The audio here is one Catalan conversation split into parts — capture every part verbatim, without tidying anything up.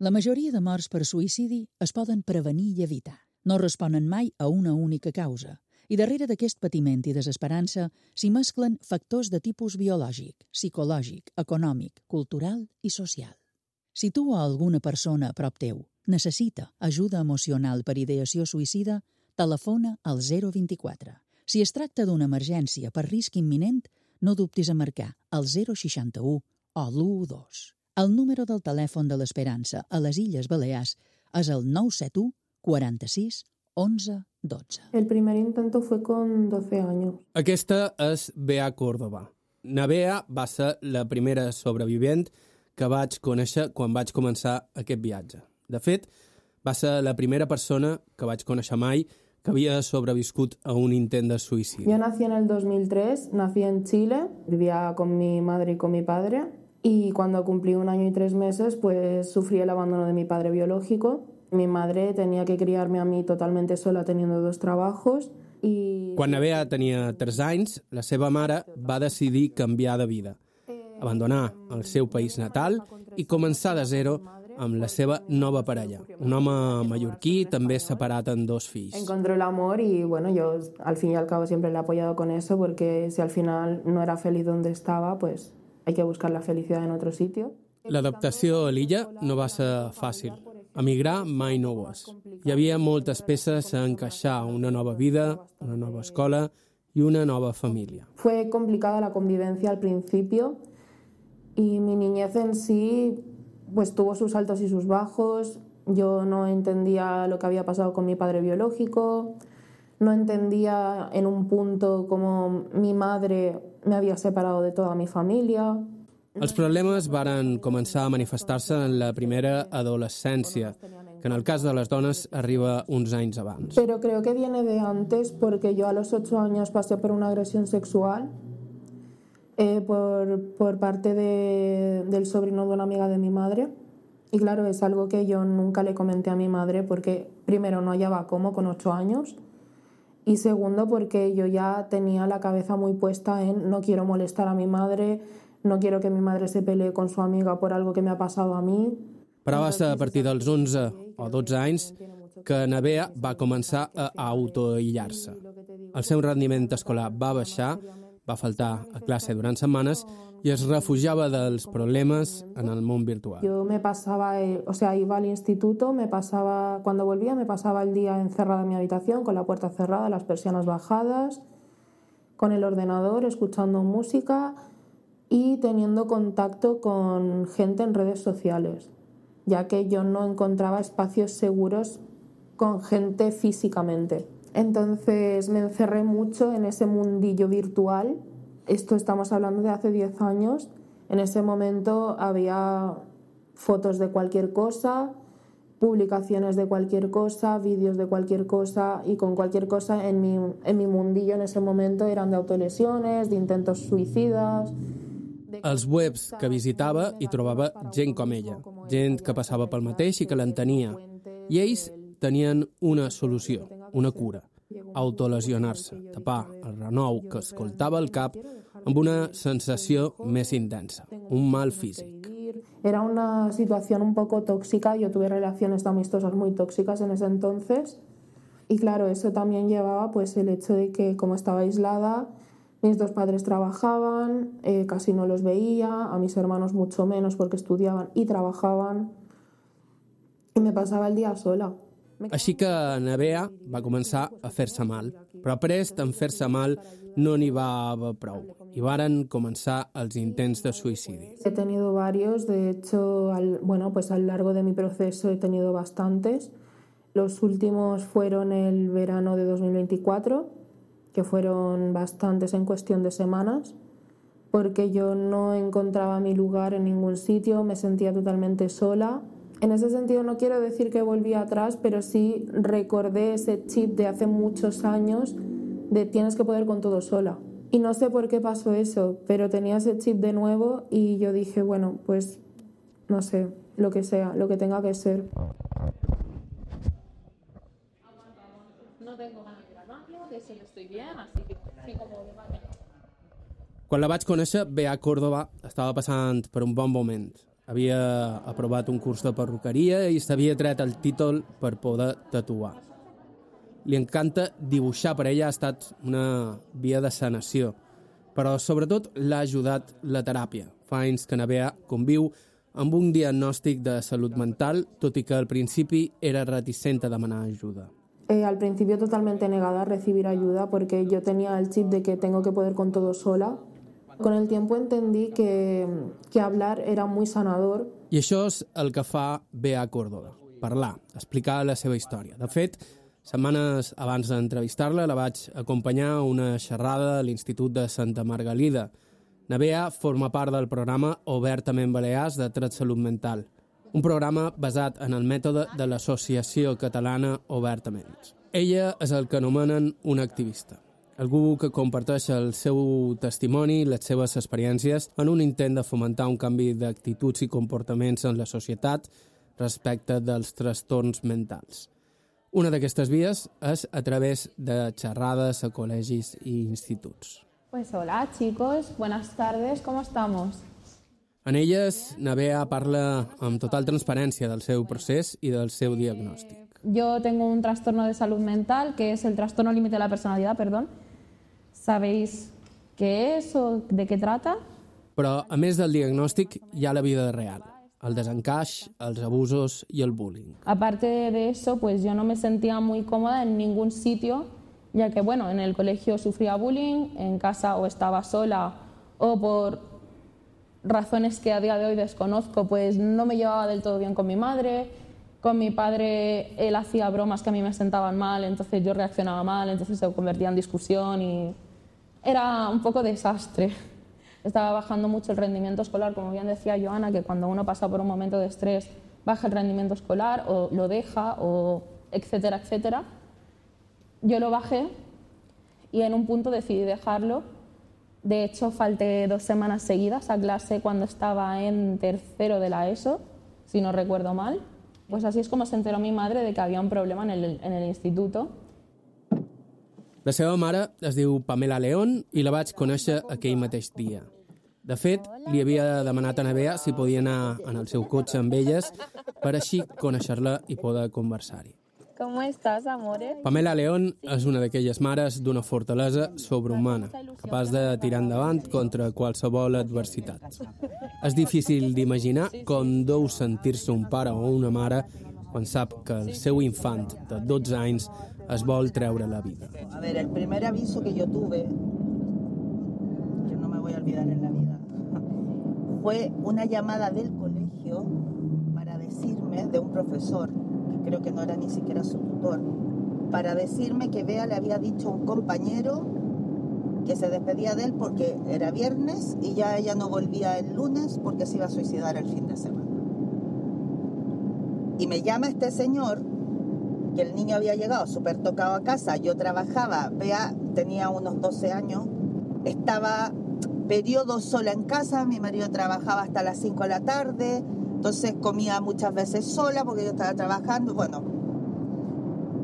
La majoria de morts per suïcidi es poden prevenir i evitar. No responen mai a una única causa. I darrere d'aquest patiment i desesperança s'hi mesclen factors de tipus biològic, psicològic, econòmic, cultural i social. Si tu o alguna persona a prop teu necessita ajuda emocional per ideació suïcida, telefona al zero vint quatre. Si es tracta d'una emergència per risc imminent, no dubtis a marcar el zero seixanta-u o l'u dos. El número del telèfon de l'Esperança a les Illes Balears és el nou set u quaranta-sis onze dotze. El primer intento fue con doce años. Aquesta és Bea Córdoba. Na Bea va ser la primera sobrevivent que vaig conèixer quan vaig començar aquest viatge. De fet, va ser la primera persona que vaig conèixer mai que había sobreviscut a un intent de suïcidi. Yo nací en el dos mil tres, nací en Chile, vivía con mi madre y con mi padre, y cuando cumplí un año y tres meses, pues sufrí el abandono de mi padre biológico. Mi madre tenía que criarme a mí totalmente sola, teniendo dos trabajos. I... Quan na Bea tenia tres anys, la seva mare va decidir canviar de vida, abandonar el seu país natal i començar de zero amb la seva nova parella, un home mallorquí també separat en dos fills. Encontró el amor y bueno, yo al fin y al cabo siempre le he apoyado con eso, porque si al final no era feliz donde estaba, pues hay que buscar la felicidad en otro sitio. L'adaptació a l'illa no va ser fàcil. Emigrar mai no ho és. Hi havia moltes peces a encaixar, una nova vida, una nova escola y una nova familia. Fue complicada la convivencia al principio y mi niñez en sí pues tuvo sus altos y sus bajos. Yo no entendía lo que había pasado con mi padre biológico, no entendía en un punto cómo mi madre me había separado de toda mi familia. Els problemes varen començar a manifestar-se en la primera adolescència, que en el cas de les dones arriba uns anys abans. Pero creo que viene de antes, porque yo a los ocho años pasé por una agresión sexual eh, por, por parte de, del sobrino de una amiga de mi madre. Y claro, es algo que yo nunca le comenté a mi madre, porque primero no hallaba cómo con ocho años, y segundo porque yo ya tenía la cabeza muy puesta en no quiero molestar a mi madre, no quiero que mi madre se pelee con su amiga por algo que me ha pasado a mí. Però va ser a partir dels onze o dotze anys que na Bea va començar a autoaïllar-se. El seu rendiment escolar va baixar, va faltar a classe durant setmanes i es refugiava dels problemes en el món virtual. Yo me pasaba, el, o sea, iba al instituto, me pasaba, cuando volvía me pasaba el día encerrada en mi habitación, con la puerta cerrada, las persianas bajadas, con el ordenador, escuchando música y teniendo contacto con gente en redes sociales, ya que yo no encontraba espacios seguros con gente físicamente. Entonces me encerré mucho en ese mundillo virtual. Esto estamos hablando de hace diez años. En ese momento había fotos de cualquier cosa, publicaciones de cualquier cosa, vídeos de cualquier cosa, y con cualquier cosa en mi, en mi mundillo en ese momento eran de autolesiones, de intentos suïcides. Als webs que visitava hi trobava gent com ella, gent que passava pel mateix i que l'entenia. I ells tenien una solució, una cura: autolesionar-se, tapar el renou que escoltava al cap amb una sensació més intensa, un mal físic. Era una situación un poco tóxica, yo tuve relaciones amistosas muy tóxicas en ese entonces, y claro, eso también llevaba pues el hecho de que como estaba aislada, mis dos padres trabajaban, eh, casi no los veía, a mis hermanos mucho menos porque estudiaban y trabajaban, y me pasaba el día sola. Així que na Bea va començar a fer-se mal, però prest en fer-se mal no n'hi va haver prou, i varen començar els intents de suïcidi. He tenido varios, de hecho, al, bueno, pues a lo largo de mi proceso he tenido bastantes. Los últimos fueron el verano de dos mil veinticuatro, que fueron bastantes en cuestión de semanas, porque yo no encontraba mi lugar en ningún sitio, me sentía totalmente sola. En ese sentido no quiero decir que volví atrás, pero sí recordé ese chip de hace muchos años de tienes que poder con todo sola. Y no sé por qué pasó eso, pero tenía ese chip de nuevo y yo dije, bueno, pues no sé, lo que sea, lo que tenga que ser. No tengo ganas de grabarlo, de eso yo estoy bien, así que sí, como de vale. Quan la vaig conèixer, Bea Córdoba estava passant per un bon moment. Havia aprovat un curs de perruqueria i s'havia tret el títol per poder tatuar. Li encanta dibuixar, per ella ha estat una via de sanació, però sobretot l'ha ajudat la teràpia. Fa anys que Nerea conviu amb un diagnòstic de salut mental, tot i que al principi era reticent a demanar ajuda. Eh, al principio totalmente negada a recibir ayuda porque yo tenía el chip de que tengo que poder con todo sola. Con el tiempo entendí que, que hablar era muy sanador. I això és el que fa Bea Córdoba, parlar, explicar la seva història. De fet, setmanes abans d'entrevistar-la la vaig acompanyar a una xerrada a l'Institut de Santa Margalida. Nerea forma part del programa Obertament Balears de Tret Salut Mental, un programa basat en el mètode de l'Associació Catalana Obertament. Ella és el que anomenen una activista, algú que comparteix el seu testimoni i les seves experiències en un intent de fomentar un canvi d'actituds i comportaments en la societat respecte dels trastorns mentals. Una d'aquestes vies és a través de xerrades a col·legis i instituts. Pues hola chicos, buenas tardes, ¿cómo estamos? En elles, Nerea parla amb total transparència del seu procés i del seu diagnòstic. Yo tengo un trastorno de salud mental, que es el trastorno límite de la personalidad, perdón. ¿Sabéis qué es o de qué trata? Però, a més del diagnòstic, hi ha la vida real, el desencaix, els abusos i el bullying. Aparte de eso, pues yo no me sentía muy cómoda en ningún sitio, ya que, bueno, en el colegio sufría bullying, en casa o estaba sola o por razones que a día de hoy desconozco, pues no me llevaba del todo bien con mi madre. Con mi padre, él hacía bromas que a mí me sentaban mal, entonces yo reaccionaba mal, entonces se convertía en discusión y era un poco desastre. Estaba bajando mucho el rendimiento escolar, como bien decía Joana, que cuando uno pasa por un momento de estrés baja el rendimiento escolar o lo deja, o etcétera, etcétera. Yo lo bajé y en un punto decidí dejarlo. De hecho, falté dos semanas seguidas a clase cuando estaba en tercero de la ESO, si no recuerdo mal. Pues así es como se enteró mi madre de que había un problema en el, en el instituto. La seva mare es diu Pamela León i la vaig conèixer aquell mateix dia. De fet, li havia demanat a Nerea si podia anar en el seu cotxe amb elles per així conèixer-la i poder conversar-hi. Com estàs, amore? Pamela León és una d'aquelles mares d'una fortalesa sobrehumana, capaç de tirar endavant contra qualsevol adversitat. És difícil d'imaginar com deu sentir-se un pare o una mare quan sap que el seu infant de dotze anys es vol treure la vida. A ver, el primer aviso que yo tuve, que no me voy a olvidar en la vida, fue una llamada del colegio para decirme, de un profesor, creo que no era ni siquiera su tutor, para decirme que Bea le había dicho a un compañero que se despedía de él porque era viernes y ya ella no volvía el lunes porque se iba a suicidar el fin de semana. Y me llama este señor, que el niño había llegado súper tocado a casa, yo trabajaba, Bea tenía unos doce años, estaba periodo sola en casa, mi marido trabajaba hasta las cinco de la tarde, entonces comía muchas veces sola porque yo estaba trabajando. Bueno,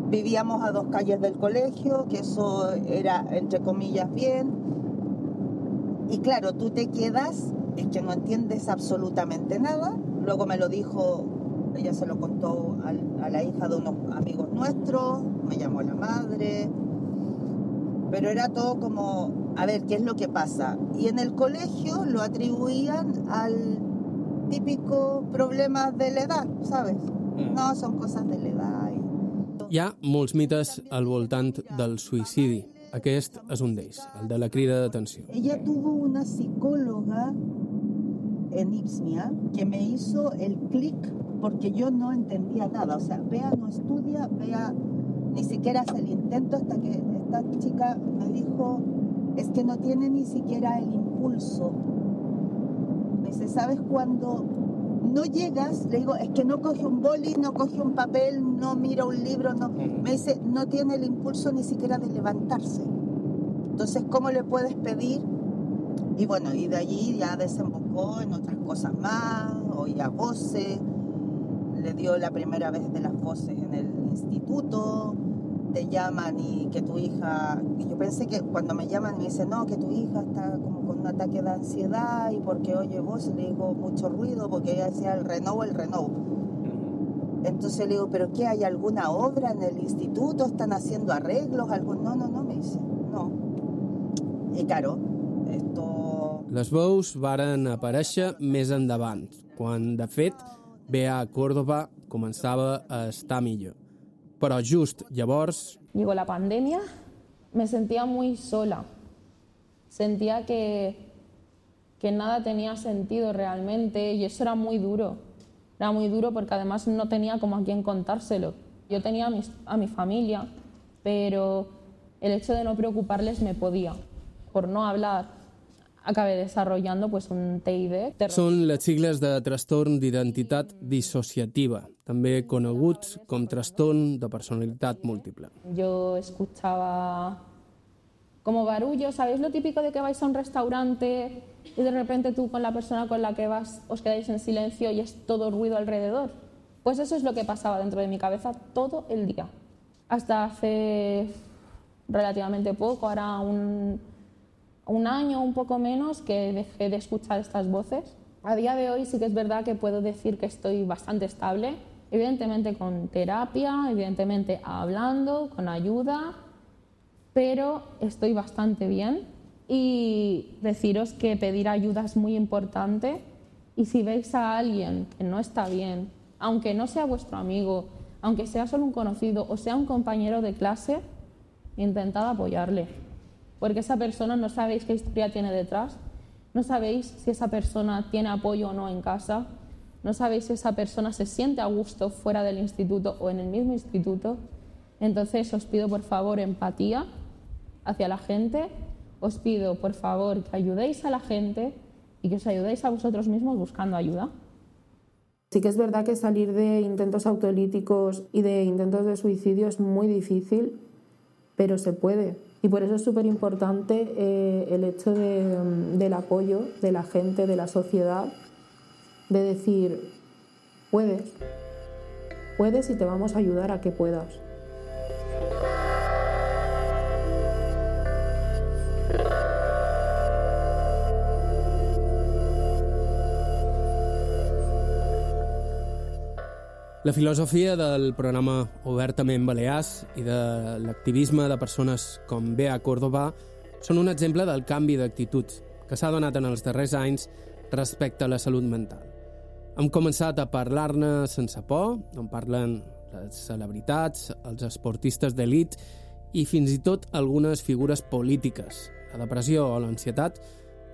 vivíamos a dos calles del colegio, que eso era, entre comillas, bien. Y claro, tú te quedas, es que no entiendes absolutamente nada. Luego me lo dijo, ella se lo contó a, a la hija de unos amigos nuestros, me llamó la madre. Pero era todo como, a ver, ¿qué es lo que pasa? Y en el colegio lo atribuían al típico problemas de la edad, ¿sabes? No, son cosas de la edad. Hi ha molts mites al voltant del suïcidi. Aquest és un d'ells, el de la crida d'atenció. Ella tuvo una psicóloga en Ipsmia que me hizo el clic porque yo no entendía nada. O sea, Bea no estudia, Bea ni siquiera hace el intento hasta que esta chica me dijo, es que no tiene ni siquiera el impulso. Me dice, ¿sabes cuando no llegas? Le digo, es que no coge un boli, no coge un papel, no mira un libro, no. Me dice, no tiene el impulso ni siquiera de levantarse. Entonces, ¿cómo le puedes pedir? Y bueno, y de allí ya desembocó en otras cosas más, oía voces, le dio la primera vez de las voces en el instituto, te llaman y que tu hija... Yo pensé que cuando me llaman me dicen, no, que tu hija está como con un ataque de ansiedad y porque oye vos, le digo mucho ruido, porque ella decía el Renault, el Renault. Entonces le digo, ¿pero qué? ¿Hay alguna obra en el instituto? ¿Están haciendo arreglos? ¿Algo? No, no, no, me dice, no. I claro, esto... Les veus varen aparèixer més endavant, quan, de fet, Bea Córdoba començava a estar millor. Però just llavors... Llegó la pandemia, me sentía muy sola. Sentía que, que nada tenía sentido realmente y eso era muy duro. Era muy duro porque además no tenía como a quién contárselo. Yo tenía a mi, a mi familia, pero el hecho de no preocuparles me podía. Por no hablar, acabé desarrollando pues, un T I D. Són les sigles de trastorn d'identitat dissociativa, també coneguts com trastorn de personalitat múltiple. Yo escuchaba como barullo, ¿sabéis lo típico de que vais a un restaurante y de repente tú con la persona con la que vas os quedáis en silencio y es todo ruido alrededor? Pues eso es lo que pasaba dentro de mi cabeza todo el día. Hasta hace relativamente poco, ahora un, un año, un poco menos, que dejé de escuchar estas voces. A día de hoy sí que es verdad que puedo decir que estoy bastante estable, evidentemente con terapia, evidentemente hablando, con ayuda, pero estoy bastante bien y deciros que pedir ayuda es muy importante y si veis a alguien que no está bien, aunque no sea vuestro amigo, aunque sea solo un conocido o sea un compañero de clase, intentad apoyarle, porque esa persona no sabéis qué historia tiene detrás, no sabéis si esa persona tiene apoyo o no en casa, no sabéis si esa persona se siente a gusto fuera del instituto o en el mismo instituto. Entonces os pido por favor empatía hacia la gente, os pido por favor que ayudéis a la gente y que os ayudéis a vosotros mismos buscando ayuda. Sí que es verdad que salir de intentos autolíticos y de intentos de suicidio es muy difícil, pero se puede. Y por eso es súper importante eh, el hecho de, del apoyo de la gente, de la sociedad, de decir, puedes, puedes y te vamos a ayudar a que puedas. La filosofia del programa Obertament Balears i de l'activisme de persones com Bea Córdoba són un exemple del canvi d'actitud que s'ha donat en els darrers anys respecte a la salut mental. Hem començat a parlar-ne sense por, en parlen les celebritats, els esportistes d'elit i fins i tot algunes figures polítiques. La depressió o l'ansietat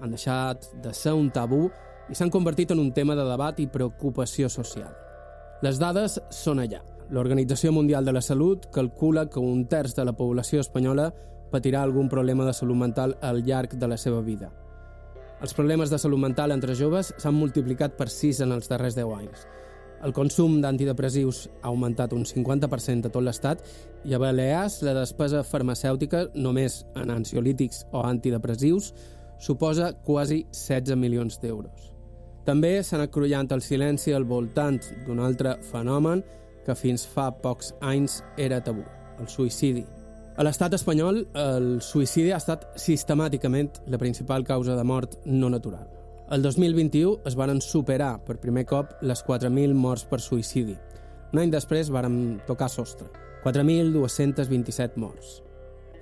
han deixat de ser un tabú i s'han convertit en un tema de debat i preocupació social. Les dades són allà. L'Organització Mundial de la Salut calcula que un terç de la població espanyola patirà algun problema de salut mental al llarg de la seva vida. Els problemes de salut mental entre joves s'han multiplicat per sis en els darrers deu anys. El consum d'antidepressius ha augmentat un cinquanta per cent a tot l'estat i a Balears la despesa farmacèutica, només en ansiolítics o antidepressius, suposa quasi setze milions d'euros. També s'han acrollant el silenci al voltant d'un altre fenomen que fins fa pocs anys era tabú, el suïcidi. A l'estat espanyol, el suïcidi ha estat sistemàticament la principal causa de mort no natural. El dos mil vint-i-u es varen superar per primer cop les quatre mil morts per suïcidi. Un any després varen tocar sostre, quatre mil dos-cents vint-i-set morts.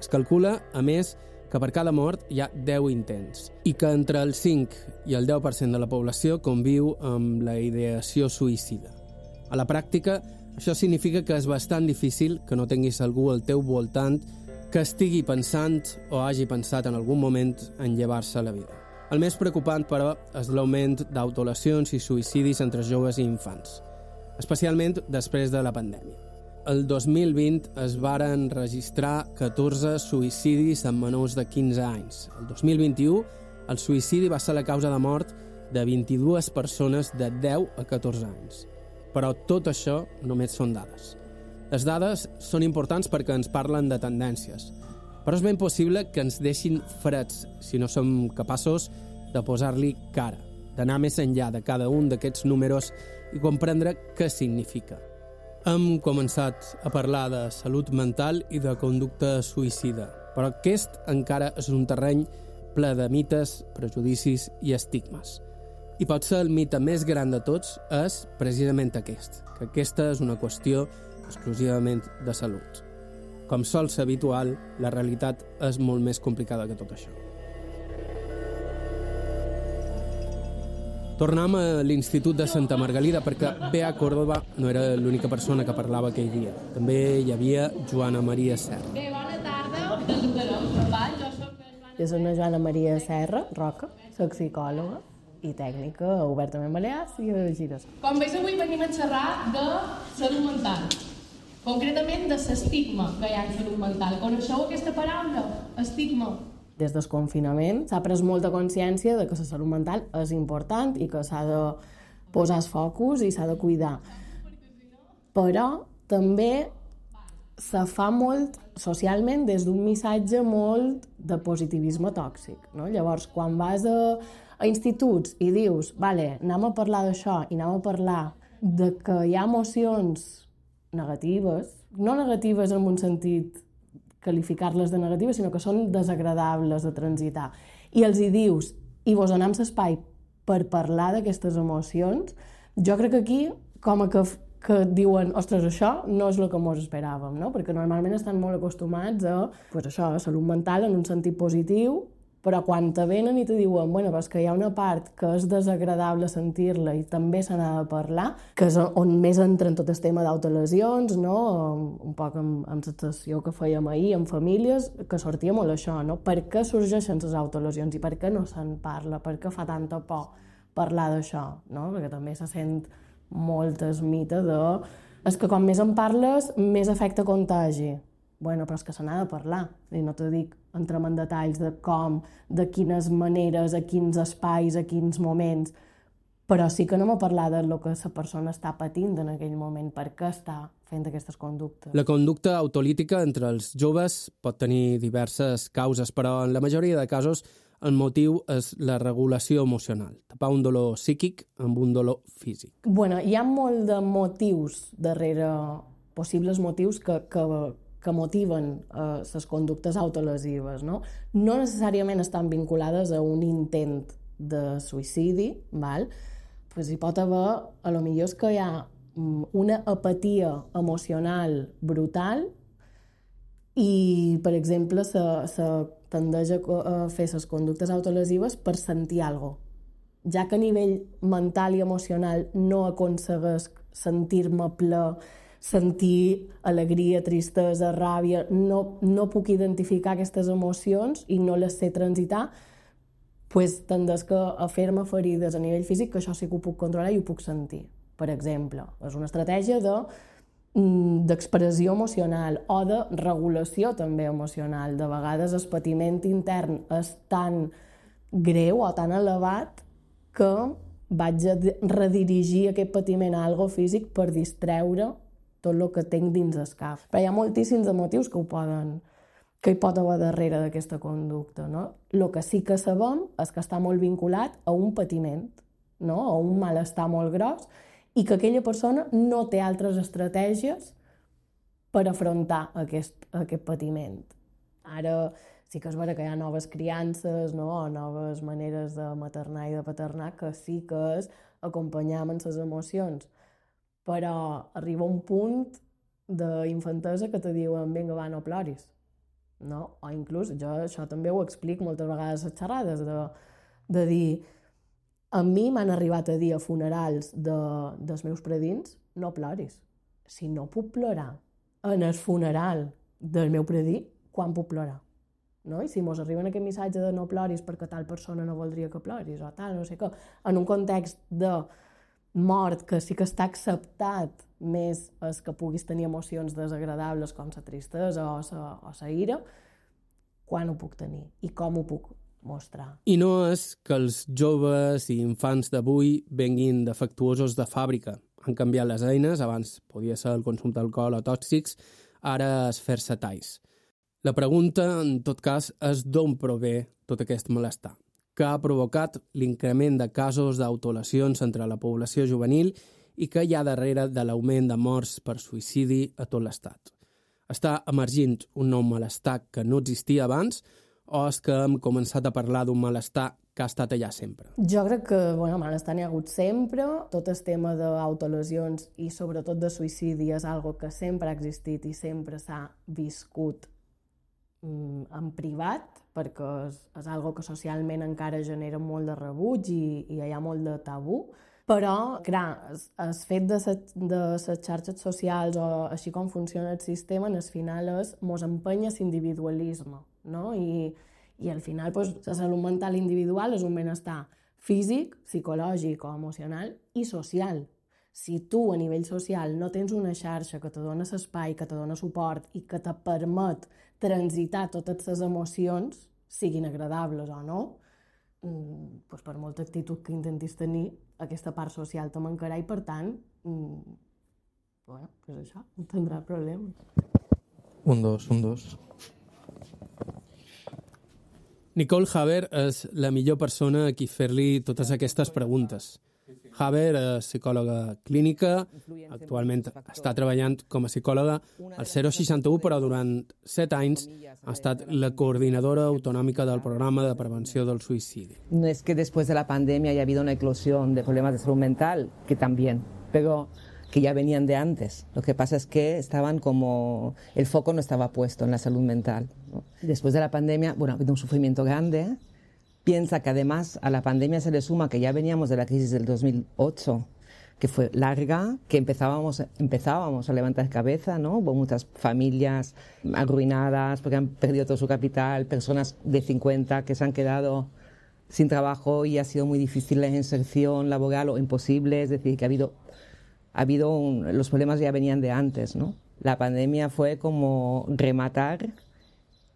Es calcula, a més, que per cada mort hi ha deu intents i que entre el cinc i el deu per cent de la població conviu amb la ideació suïcida. A la pràctica, això significa que és bastant difícil que no tinguis algú al teu voltant que estigui pensant o hagi pensat en algun moment en llevar-se la vida. El més preocupant, però, és l'augment d'autolacions i suïcidis entre joves i infants, especialment després de la pandèmia. El dos mil vint es varen registrar catorze suïcidis en menors de quinze anys. El dos mil vint-i-u, el suïcidi va ser la causa de mort de vint-i-dues persones de deu a catorze anys. Però tot això només són dades. Les dades són importants perquè ens parlen de tendències, però és ben possible que ens deixin freds si no som capaços de posar-li cara, d'anar més enllà de cada un d'aquests números i comprendre què significa. Hem començat a parlar de salut mental i de conducta suïcida, però aquest encara és un terreny ple de mites, prejudicis i estigmes. I potser el mite més gran de tots és precisament aquest, que aquesta és una qüestió exclusivament de salut. Com sol ser habitual, la realitat és molt més complicada que tot això. Tornem a l'Institut de Santa Margalida perquè Bea Córdoba no era l'única persona que parlava aquell dia. També hi havia Joana Maria Serra. Bé, bona tarda. Jo soc una Joana Maria Serra, Roca, soc psicòloga i tècnica obertament balears i a Gires. Com veus, avui venim a xerrar de salut mental, concretament de l'estigma que hi ha en salut mental. Coneixeu aquesta paraula, estigma? Des del confinament s'ha pres molta consciència de que la salut mental és important i que s'ha de posar el focus i s'ha de cuidar. Però també se fa molt socialment des d'un missatge molt de positivisme tòxic, no? Llavors, quan vas a, a instituts i dius vale, anem a parlar d'això i anem a parlar de que hi ha emocions negatives, no negatives en un sentit qualificar-les de negatives, sinó que són desagradables de transitar. I els hi dius, i vos donem l'espai per parlar d'aquestes emocions, jo crec que aquí, com a que, que diuen, ostres, això no és el que mos esperàvem, no? Perquè normalment estan molt acostumats a, pues això, a salut mental en un sentit positiu, però quan te venen i te diuen, bueno, és que hi ha una part que és desagradable sentir-la i també se n'ha de parlar, que és on més entra en tot el tema d'autolesions, no? Un poc amb, amb la sessió que fèiem ahir, amb famílies, que sortia molt això, no? Per què sorgeixen les autolesions i per què no se'n parla? Per què fa tanta por parlar d'això, no? Perquè també se sent molt el mite de... És que com més en parles, més efecte contagi. Bueno, però és que se n'ha de parlar. I no te dic, entrem en detalls de com, de quines maneres, a quins espais, a quins moments, però sí que anem a parlar del que la persona està patint en aquell moment, per què està fent aquestes conductes. La conducta autolítica entre els joves pot tenir diverses causes, però en la majoria de casos el motiu és la regulació emocional, tapar un dolor psíquic amb un dolor físic. Bueno, hi ha molt de motius darrere, possibles motius que, que que motiven eh, les conductes autolesives, no? No necessàriament estan vinculades a un intent de suïcidi, val? Pues hi pot haver, a lo millor és que hi ha una apatia emocional brutal i, per exemple, se, se tendeix a fer les conductes autolesives per sentir alguna cosa. Ja que a nivell mental i emocional no aconsegueix sentir-me ple, sentir alegria, tristesa, ràbia, no, no puc identificar aquestes emocions i no les sé transitar, doncs tendeix a fer-me ferides a nivell físic, que això sí que ho puc controlar i ho puc sentir. Per exemple, és una estratègia de, d'expressió emocional o de regulació també emocional. De vegades el patiment intern és tan greu o tan elevat que vaig a redirigir aquest patiment a algo físic per distreure tot el que tinc dins el cap. Però hi ha moltíssims de motius que ho poden, que hi pot haver darrere d'aquesta conducta, no? El que sí que sabem és que està molt vinculat a un patiment, no? A un malestar molt gros, i que aquella persona no té altres estratègies per afrontar aquest, aquest patiment. Ara sí que és vera que hi ha noves criances, no? O noves maneres de maternar i de paternar, que sí que és acompanyar amb les emocions. Però arriba un punt d'infantesa que te diuen vinga, va, no ploris. No? O inclús, jo això també ho explico moltes vegades a les xerrades, de, de dir, a mi m'han arribat a dir a funerals de, dels meus predins, no ploris. Si no puc plorar en el funeral del meu predí, quan puc plorar? No? I si mos arriben aquest missatge de no ploris perquè tal persona no voldria que ploris o tal, no sé què, en un context de mort que sí que està acceptat més és que puguis tenir emocions desagradables com la tristesa o la, o la ira, quan ho puc tenir i com ho puc mostrar. I no és que els joves i infants d'avui venguin defectuosos de fàbrica. Han canviat les eines, abans podia ser el consum d'alcohol o tòxics, ara és fer-se talls. La pregunta, en tot cas, és d'on prové tot aquest malestar, que ha provocat l'increment de casos d'autolesions entre la població juvenil i què hi ha darrere de l'augment de morts per suïcidi a tot l'Estat. Està emergint un nou malestar que no existia abans o és que hem començat a parlar d'un malestar que ha estat allà sempre? Jo crec que bueno, malestar n'hi ha hagut sempre. Tot el tema d'autolesions i sobretot de suïcidi és algo que sempre ha existit i sempre s'ha viscut mm, en privat, perquè és, és algo que socialment encara genera molt de rebuig i, i hi ha molt de tabú. Però, clar, el fet de les xarxes socials o així com funciona el sistema, en el final és mos empenya l'individualisme, no? I, i al final pues, la salut mental individual és un benestar físic, psicològic o emocional i social. Si tu a nivell social no tens una xarxa que te dona espai, que te dona suport i que te permet transitar totes les emocions, siguin agradables o no, pues per molta actitud que intentis tenir, aquesta part social te mancarà i, per tant, mm, bueno, és això, no tindrà problema. Un dos, un dos. Nicole Haber és la millor persona a qui fer-li totes aquestes preguntes. Haber és psicòloga clínica, actualment està treballant com a psicòloga al zero seixanta u, però durant set anys ha estat la coordinadora autonòmica del programa de prevenció del suïcidi. No es que después de la pandemia haya habido una eclosión de problemas de salud mental, que también, pero que ya venían de antes. Lo que pasa es que estaban como... el foco no estaba puesto en la salud mental, ¿no? Después de la pandemia, bueno, ha habido un sufrimiento grande. Piensa que además a la pandemia se le suma que ya veníamos de la crisis del dos mil ocho, que fue larga, que empezábamos, empezábamos a levantar cabeza, ¿no? Hubo muchas familias arruinadas porque han perdido todo su capital, personas de cincuenta que se han quedado sin trabajo y ha sido muy difícil la inserción laboral o imposible, es decir, que ha habido, ha habido un, los problemas ya venían de antes, ¿no? La pandemia fue como rematar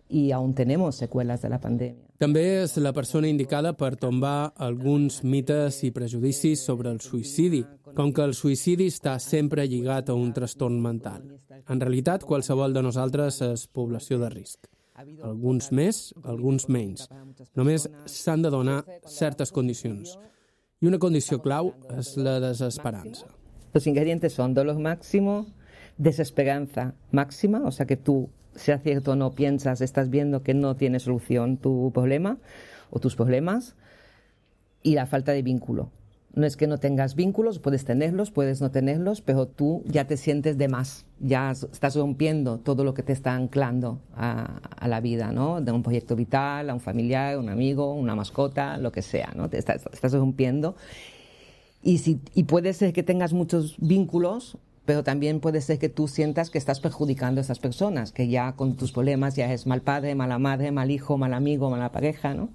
i aún tenemos seqüeles de la pandèmia. També és la persona indicada per tombar alguns mites i prejudicis sobre el suïcidi, com que el suïcidi està sempre lligat a un trastorn mental. En realitat, qualsevol de nosaltres és població de risc. Alguns més, alguns menys. Només s'han de donar certes condicions. I una condició clau és la desesperança. Los ingredientes son dolor máximo, desesperanza máxima, o sea que tú, sea cierto o no, piensas, estás viendo que no tiene solución tu problema o tus problemas, y la falta de vínculo. No es que no tengas vínculos, puedes tenerlos, puedes no tenerlos, pero tú ya te sientes de más, ya estás rompiendo todo lo que te está anclando a, a la vida, ¿no? De un proyecto vital, a un familiar, un amigo, una mascota, lo que sea, ¿no? Te estás, estás rompiendo. Y, si, y puede ser que tengas muchos vínculos, pero también puede ser que tú sientas que estás perjudicando a estas personas, que ya con tus problemas ya es mal padre, mala madre, mal hijo, mal amigo, mala pareja, ¿no?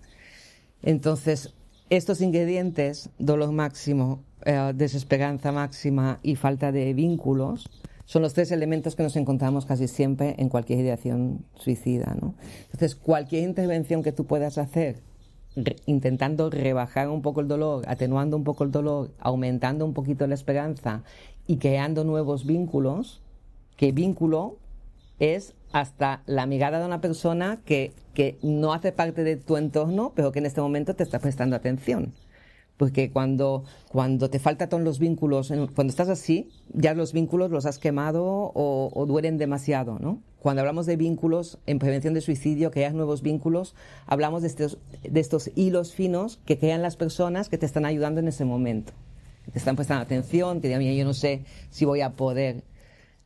Entonces, estos ingredientes, dolor máximo, eh, desesperanza máxima y falta de vínculos, son los tres elementos que nos encontramos casi siempre en cualquier ideación suicida, ¿no? Entonces, cualquier intervención que tú puedas hacer, re- intentando rebajar un poco el dolor, atenuando un poco el dolor, aumentando un poquito la esperanza y creando nuevos vínculos, que vínculo es hasta la mirada de una persona que, que no hace parte de tu entorno, pero que en este momento te está prestando atención. Porque cuando, cuando te faltan todos los vínculos, cuando estás así, ya los vínculos los has quemado o, o duelen demasiado, ¿no? Cuando hablamos de vínculos en prevención de suicidio, crear nuevos vínculos, hablamos de estos, de estos hilos finos que crean las personas que te están ayudando en ese momento. Te están prestando atención, te digan, mira, yo no sé si voy a poder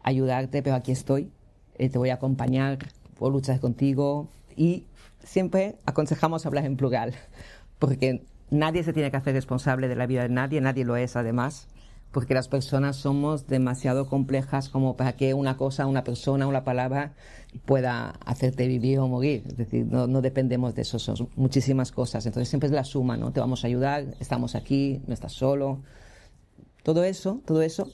ayudarte, pero aquí estoy, eh, te voy a acompañar, puedo luchar contigo. Y siempre aconsejamos hablar en plural, porque nadie se tiene que hacer responsable de la vida de nadie, nadie lo es además, porque las personas somos demasiado complejas como para que una cosa, una persona, una palabra pueda hacerte vivir o morir. Es decir, no, no dependemos de eso, son muchísimas cosas. Entonces siempre es la suma, ¿no? Te vamos a ayudar, estamos aquí, no estás solo. Todo eso, todo eso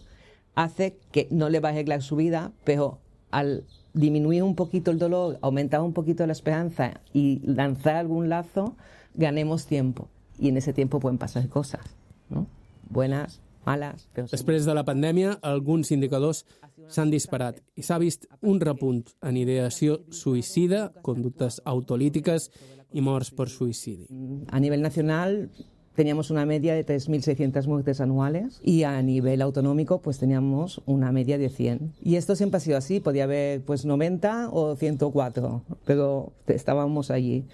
hace que no le va a arreglar su vida, pero al disminuir un poquito el dolor, aumentar un poquito la esperanza y lanzar algún lazo, ganemos tiempo. Y en ese tiempo pueden pasar cosas, ¿no? Buenas, malas... Però... Després de la pandèmia, alguns indicadors s'han disparat i s'ha vist un repunt en ideació suïcida, conductes autolítiques i morts per suïcidi. A nivell nacional teníamos una media de tres mil seiscientas muertes anuales y a nivel autonómico pues teníamos una media de cien. Y esto siempre ha sido así, podía haber pues noventa o ciento cuatro, pero estábamos allí.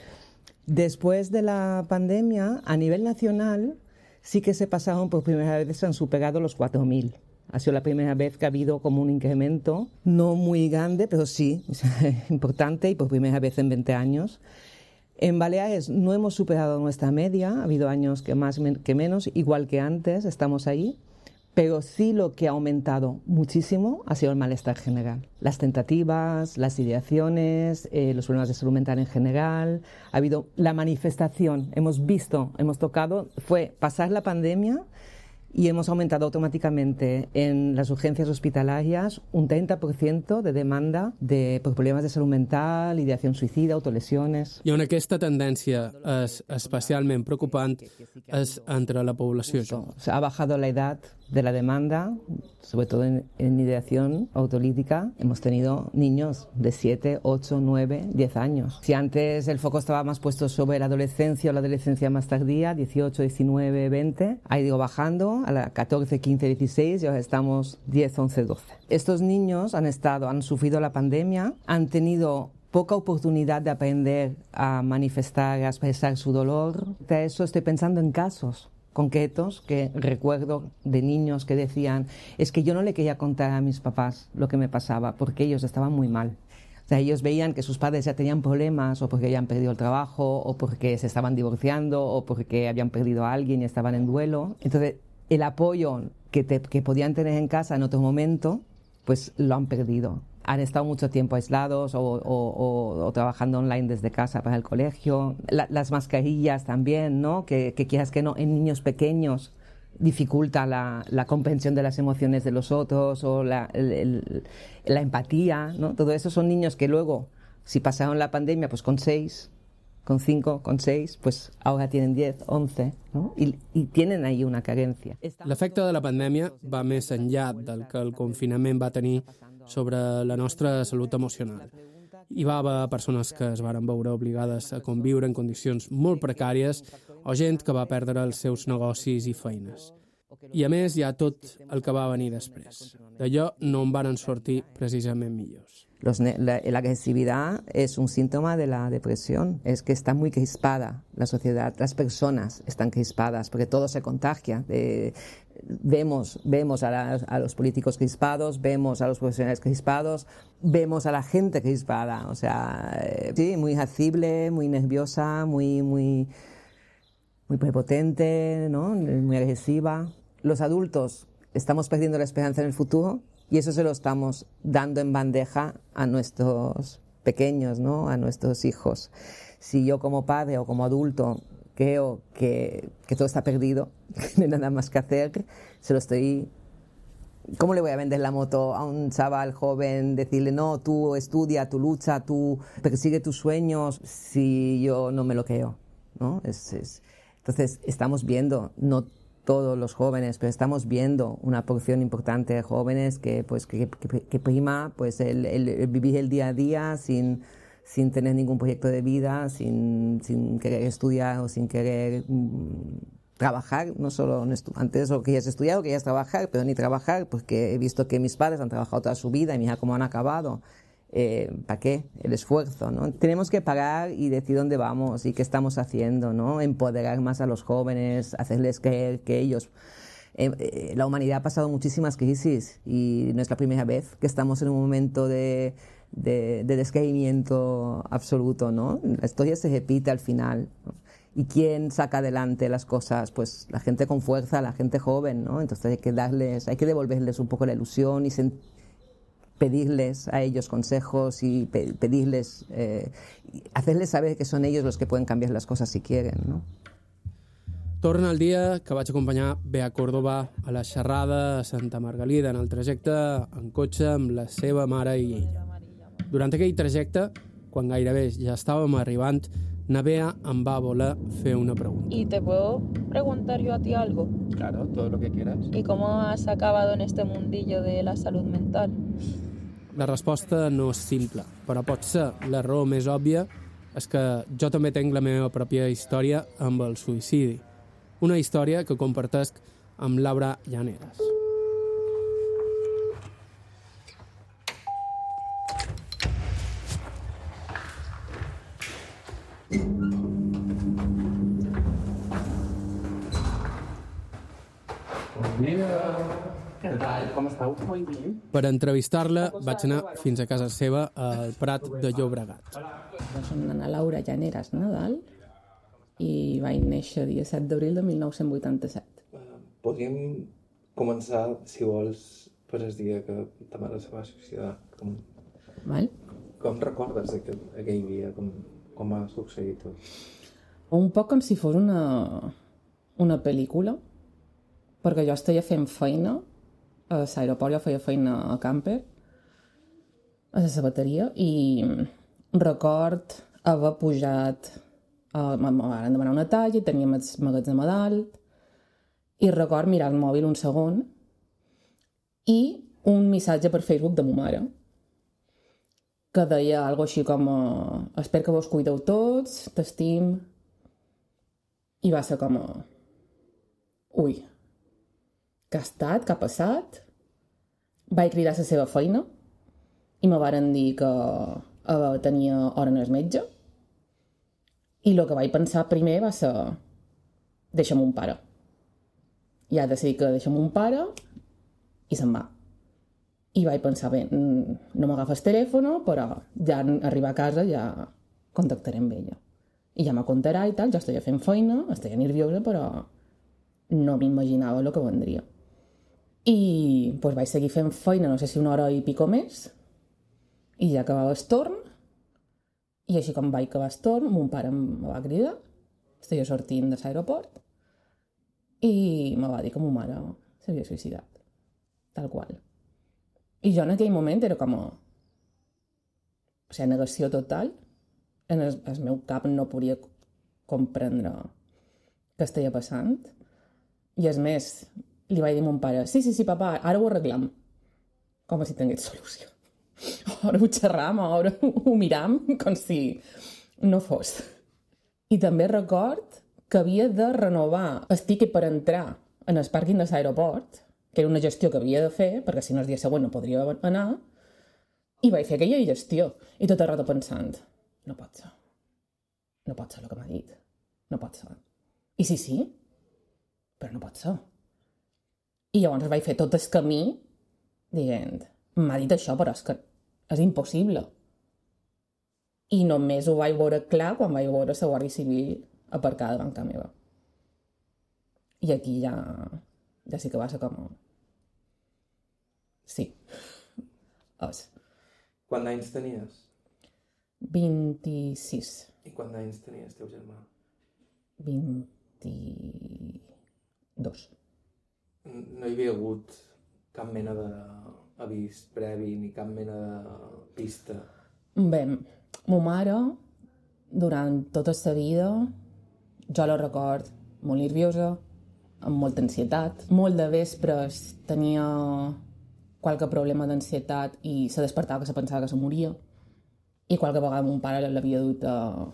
Después de la pandemia, a nivel nacional, sí que se pasaron por primera vez, se han superado los cuatro mil. Ha sido la primera vez que ha habido como un incremento, no muy grande, pero sí, importante y por primera vez en veinte años. En Baleares no hemos superado nuestra media, ha habido años que más que menos, igual que antes, estamos ahí, pero sí lo que ha aumentado muchísimo ha sido el malestar general. Las tentativas, las ideaciones, eh, los problemas de salud mental en general, ha habido la manifestación, hemos visto, hemos tocado, fue pasar la pandemia y hemos aumentado automáticamente en las urgencias hospitalarias un treinta por ciento de demanda de, por problemes de salut mental, ideació suïcida, autolesiones... I on aquesta tendència és especialment preocupant és entre la població jove. Ha bajado la edad de la demanda, sobre todo en, en ideación autolítica. Hemos tenido niños de siete, ocho, nueve, diez años. Si antes el foco estaba más puesto sobre la adolescencia o la adolescencia más tardía, dieciocho, diecinueve, veinte, ha ido bajando a la catorce, quince, dieciséis y ahora estamos diez, once, doce. Estos niños han estado, han sufrido la pandemia, han tenido poca oportunidad de aprender a manifestar, a expresar su dolor. De eso estoy pensando en casos concretos que recuerdo de niños que decían, es que yo no le quería contar a mis papás lo que me pasaba porque ellos estaban muy mal. O sea, ellos veían que sus padres ya tenían problemas o porque habían perdido el trabajo o porque se estaban divorciando o porque habían perdido a alguien y estaban en duelo. Entonces, el apoyo que, te, que podían tener en casa en otro momento, pues lo han perdido. Han estado mucho tiempo aislados o, o, o, o trabajando online desde casa para el colegio. La, las mascarillas también, ¿no? Que, que quieras que no, en niños pequeños dificulta la, la comprensión de las emociones de los otros o la, el, el, la empatía, ¿no? Todo eso son niños que luego, si pasaron la pandemia, pues con seis, con cinco, con seis, pues ahora tienen diez, once, ¿no? I, i tienen ahí una carencia. L'efecte de la pandèmia va més enllà del que el confinament va tenir sobre la nostra salut emocional. Hi va haver persones que es varen veure obligades a conviure en condicions molt precàries o gent que va perdre els seus negocis i feines. I a més hi ha tot el que va venir després. D'allò no en varen sortir precisament millors. Los, la, la agresividad es un síntoma de la depresión, es que está muy crispada la sociedad, las personas están crispadas porque todo se contagia. Eh, vemos vemos a, la, a los políticos crispados, vemos a los profesionales crispados, vemos a la gente crispada, o sea, eh, sí, muy irascible, muy nerviosa, muy, muy, muy prepotente, ¿no? Muy agresiva. Los adultos estamos perdiendo la esperanza en el futuro. Y eso se lo estamos dando en bandeja a nuestros pequeños, ¿no? A nuestros hijos. Si yo como padre o como adulto creo que, que todo está perdido, que no hay nada más que hacer, se lo estoy... ¿Cómo le voy a vender la moto a un chaval joven? Decirle, no, tú estudia, tú lucha, tú persigue tus sueños, si yo no me lo creo, ¿no? Es, es... Entonces, estamos viendo... no todos los jóvenes, pero estamos viendo una porción importante de jóvenes que, pues, que, que, que prima pues, el, el, el vivir el día a día sin, sin tener ningún proyecto de vida, sin, sin querer estudiar o sin querer mmm, trabajar, no solo antes o querías estudiar o querías trabajar, pero ni trabajar, porque he visto que mis padres han trabajado toda su vida y mira cómo han acabado. Eh, ¿Para qué? El esfuerzo, ¿no? Tenemos que parar y decir dónde vamos y qué estamos haciendo, ¿no? Empoderar más a los jóvenes, hacerles creer que ellos... Eh, eh, la humanidad ha pasado muchísimas crisis y no es la primera vez que estamos en un momento de, de, de descreimiento absoluto, ¿no? La historia se repite al final, ¿no? ¿Y quién saca adelante las cosas? Pues la gente con fuerza, la gente joven, ¿no? Entonces hay que darles, hay que devolverles un poco la ilusión y sentir, pedirles a ellos consejos y pe pedirles, eh, hacerles saber que son ellos los que pueden cambiar las cosas si quieren, ¿no? Torna el dia que vaig acompanyar Bea Córdoba a la xerrada a Santa Margalida en el trajecte en cotxe amb la seva mare i ella. Durant aquell trajecte, quan gairebé ja estàvem arribant, na Bea em va voler fer una pregunta. ¿Y te puedo preguntar yo a ti algo? Claro, todo lo que quieras. ¿Y cómo has acabado en este mundillo de la salud mental? La resposta no és simple, però pot ser la raó més òbvia és que jo també tenc la meva pròpia història amb el suïcidi. Una història que compartesc amb Laura Llaneras. Què tal? Com esteu? Molt bé. Per entrevistar-la vaig anar fins a casa seva al Prat de Llobregat. Soc Ana Laura Llaneras Nadal i vaig néixer dia set d'abril de mil nou-cents vuitanta-set. Podríem començar, si vols, per el dia que ta mare se va suïcidar. Com, Val? com recordes aquell, aquell dia? Com, com va succeir tot? Un poc com si fos una, una pel·lícula, perquè jo estava fent feina a l'aeroport, jo feia feina a Camper, a la sabateria, i record haver pujat, uh, me van demanar una talla, i teníem el magatzem a dalt, i record mirar el mòbil un segon, i un missatge per Facebook de ma mare, que deia alguna així com uh, espero que vos cuideu tots, t'estim, i va ser com a... ui, què ha estat, què ha passat? Vaig cridar a la seva feina i me varen dir que uh, tenia hora en el metge i el que vaig pensar primer va ser deixa'm un pare. I ha decidit que deixa'm un pare i se'n va. I vaig pensar, bé, no m'agafes telèfon, però ja en arribar a casa ja contactaré amb ella. I ja me contarà i tal, jo estava fent feina, estava nerviosa, però no m'imaginava el que vendria. I pues, vaig seguir fent feina, no sé si una hora i pico més, i ja acabava el torn, i així com vaig acabar el torn, mon pare em va cridar, estava sortint de l'aeroport, i me va dir que ma mare s'havia suïcidat, tal qual. I jo en aquell moment era com a... O sigui, negació total. En el, el meu cap no podia comprendre què estava passant. I és més, li vaig dir a mon pare, sí, sí, sí, papa, ara ho arreglam. Com si tingués solució. Ara ho xerram, ara ho miram, com si no fos. I també record que havia de renovar el tiquet per entrar en el pàrquing de l'aeroport, que era una gestió que havia de fer, perquè si no el dia següent no podria anar, i vaig fer aquella gestió. I tot el rato pensant, no pot ser. No pot ser el que m'ha dit. No pot ser. I sí, sí, però no pot ser. I llavors vaig fer tot el camí dient, m'ha dit això, però és que és impossible. I només ho vaig veure clar quan vaig veure la Guàrdia Civil aparcada davant casa meva. I aquí ja, ja sí que va ser com... Sí. És. Quants anys tenies? vint-i-sis. I quants anys tenies teu germà? vint-i-dos. No hi havia hagut cap mena d'avís previ ni cap mena de pista? Bé, ma mare, durant tota la vida, jo la record molt nerviosa, amb molta ansietat. Molt de vespres tenia qualque problema d'ansietat i se despertava que se pensava que se moria. I qualque vegada mon pare l'havia dut a,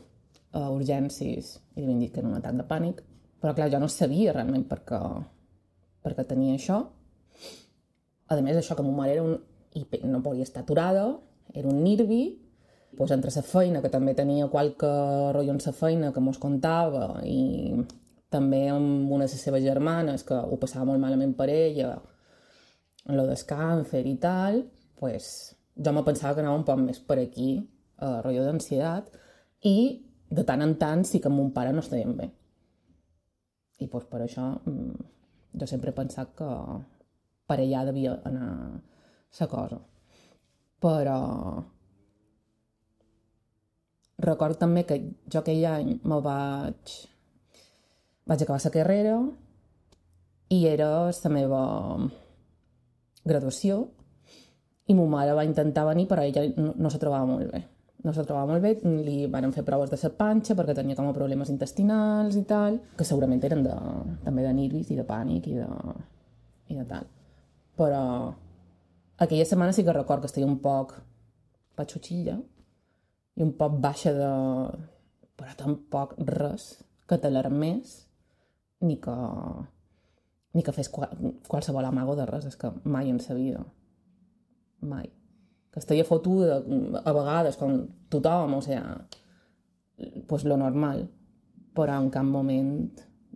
a urgències i li havien dit que era un atac de pànic. Però clar, jo no sabia realment per què, per què tenia això. A més, això que ma mare era un... i no podia estar aturada, era un nervi. Pues, entre la feina, que també tenia qualque rotllo en la feina que mos contava, i també amb una de les seves germanes que ho passava molt malament per ella, en lo del càncer i tal, pues, jo me pensava que anava un poc més per aquí, a rotllo d'ansietat, i de tant en tant sí que amb mon pare no estàvem bé. I pues, per això jo sempre he pensat que per allà devia anar la cosa. Però recordo també que jo aquell any me vaig... vaig acabar la carrera i era la meva graduació i ma mare va intentar venir, però ella no, no se trobava molt bé. No se trobava molt bé, li van fer proves de la panxa perquè tenia com a problemes intestinals i tal, que segurament eren de, també de nervis i de pànic i de, i de tal. Però aquella setmana sí que record que estava un poc patxutxilla i un poc baixa de... però tampoc res que t'alarmés ni que, ni que fes qual, qualsevol amago de res, és que mai en sa vida. Mai. Que estaria fotuda a vegades com tothom, o sigui, pues lo normal, però en cap moment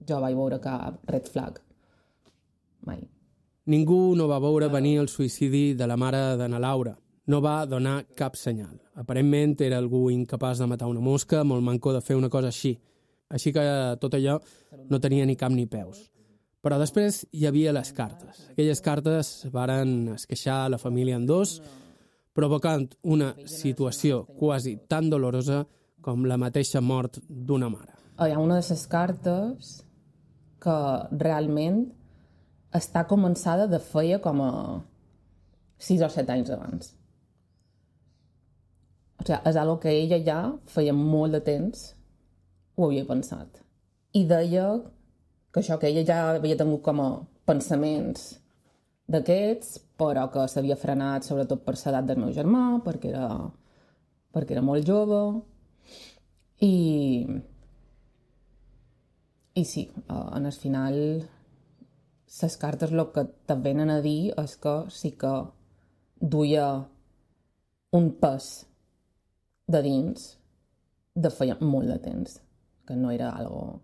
jo vaig veure cap red flag. Mai. Ningú no va veure venir el suïcidi de la mare d'Anna Laura. No va donar cap senyal. Aparentment era algú incapaç de matar una mosca, molt manco de fer una cosa així. Així que tot allò no tenia ni cap ni peus. Però després hi havia les cartes. Aquelles cartes varen esqueixar la família en dos, provocant una situació quasi tan dolorosa com la mateixa mort d'una mare. Hi ha una de les cartes que realment està començada de feia com a sis o set anys abans. O sigui, és algo que ella ja feia molt de temps ho havia pensat. I deia que això, que ella ja havia tingut com a pensaments d'aquests, però que s'havia frenat sobretot per l'edat del meu germà, perquè era, perquè era molt jove. I, i sí, en el final les cartes el que te venen a dir és que sí que duia un pes de dins de feia molt de temps, que no era algo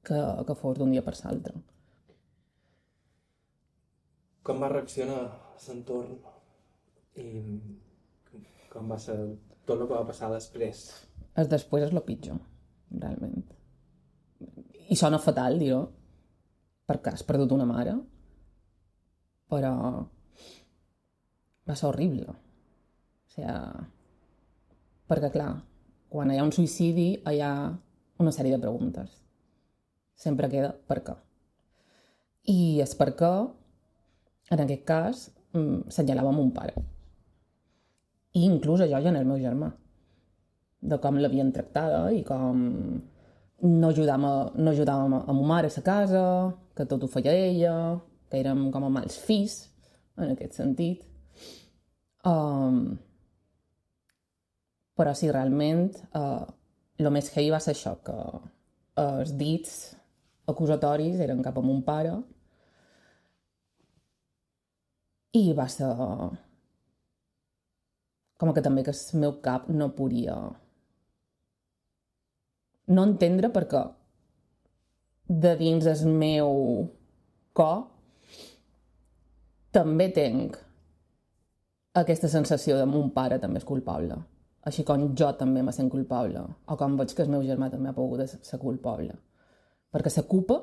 que, que fos d'un dia per l'altre. Com va reaccionar l'entorn i com va ser tot el que va passar després? El després és el pitjor, realment. I sona fatal, dir-ho, perquè has perdut una mare, però va ser horrible. O sigui, perquè, clar, quan hi ha un suïcidi hi ha una sèrie de preguntes. Sempre queda per què. I és per què, en aquest cas, senyalava mon pare. I inclús a jo i en el meu germà. De com l'havien tractada i com no ajudàvem, no ajudàvem a ma mare a la casa, que tot ho feia ella, que érem com a mals fills, en aquest sentit. Um, però sí, realment, uh, el més heavy va ser això, que els dits acusatoris eren cap a mon pare i va ser com que també que el meu cap no podia no entendre perquè de dins el meu cor també tenc aquesta sensació de mon pare també és culpable. Així com jo també me sent culpable, o com veig que el meu germà també ha pogut ser culpable. Perquè la culpa,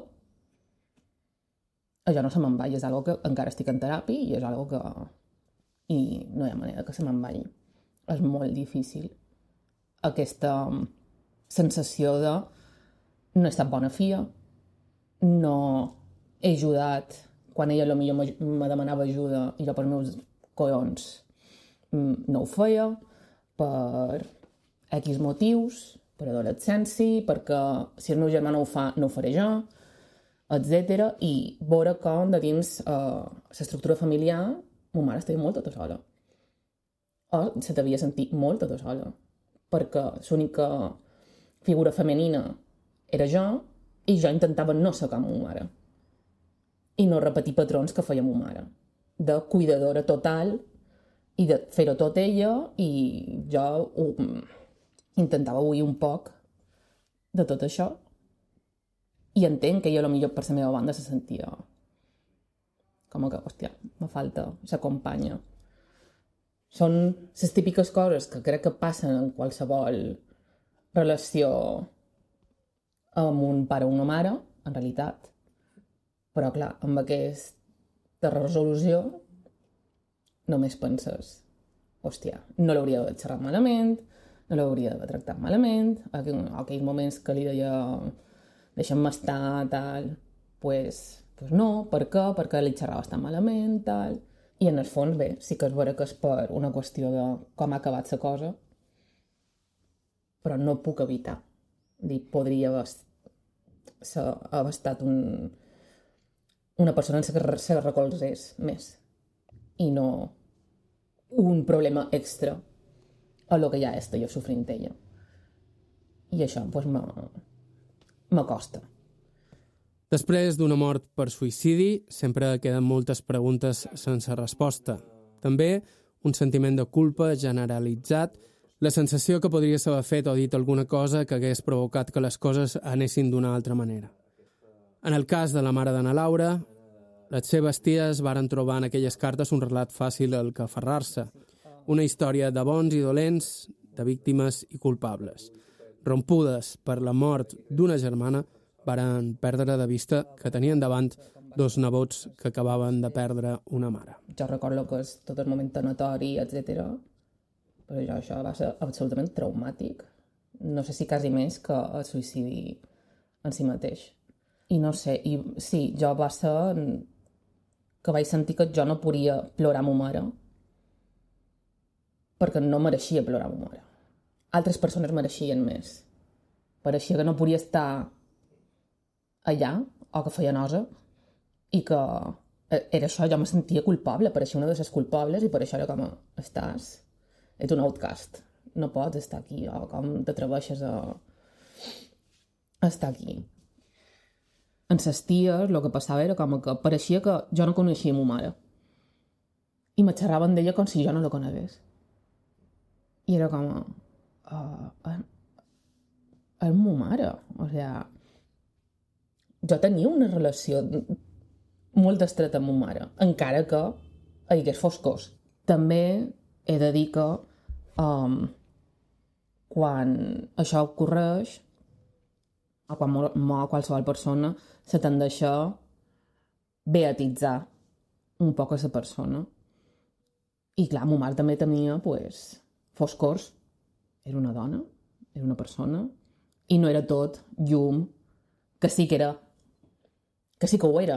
això no se me'n va, i és una que encara estic en teràpia i és una que... I no hi ha manera que se me'n vagi. És molt difícil aquesta sensació de no he estat bona filla, no he ajudat quan ella potser me demanava ajuda i jo per meus collons no ho feia, per X motius, per adolescència, perquè si el meu germà no ho fa, no ho faré jo, etcètera. I veure com de dins uh, l'estructura familiar ma mare estava molt tota sola. O se devia sentir molt tota sola, perquè l'única figura femenina era jo i jo intentava no ser com ma mare i no repetir patrons que feia ma mare, de cuidadora total i de fer-ho tot ella, i jo ho, intentava oir un poc de tot això. I entenc que ella, potser per la meva banda, se sentia com que, hòstia, me falta la companya. Són les típiques coses que crec que passen en qualsevol relació amb un pare o una mare, en realitat. Però, clar, amb aquesta resolució només penses, hòstia, no l'hauria d'haver xerrat malament, no l'hauria d'haver tractat malament, aquells moments que li deia deixa'm estar, tal, pues, pues no, per què? Perquè li xerrava tan malament, tal. I en el fons, bé, sí que és vera que és per una qüestió de com ha acabat la cosa, però no puc evitar. Dir, podria haver, haver estat un, una persona en la que se recolzés més i no un problema extra a lo que ja està jo sofrint ella. I això, doncs, m'acosta. Després d'una mort per suïcidi, sempre queden moltes preguntes sense resposta. També un sentiment de culpa generalitzat, la sensació que podries haver fet o dit alguna cosa que hagués provocat que les coses anessin d'una altra manera. En el cas de la mare d'Anna Laura, les seves ties varen trobar en aquelles cartes un relat fàcil al que aferrar-se, una història de bons i dolents, de víctimes i culpables. Rompudes per la mort d'una germana, varen perdre de vista que tenien davant dos nebots que acabaven de perdre una mare. Jo recordo que és tot el moment tanatori, etcètera, però jo, això va ser absolutament traumàtic. No sé si quasi més que el suïcidi en si mateix. I no sé, i sí, jo va ser que vaig sentir que jo no podia plorar a ma mare perquè no mereixia plorar a ma mare. Altres persones mereixien més. Pareixia que no podia estar allà, o que feia nosa, i que era això, jo me sentia culpable, pareixia una de les culpables, i per això era com, estàs, ets un outcast, no pots estar aquí, o com t'atreveixes a estar aquí. En ses ties, el que passava era com que pareixia que jo no coneixia ma mare, i me xerraven d'ella com si jo no la conegués. I era com, uh, és ma mare, o sigui, jo tenia una relació molt estreta amb ma mare, encara que hi hagués foscors. També he de dir que um, quan això ocorreix, o quan mor qualsevol persona, se tendeix a beatitzar un poc a la persona. I clar, ma mare també tenia pues, foscors. Era una dona, era una persona, i no era tot llum, que sí que era que sí que ho era,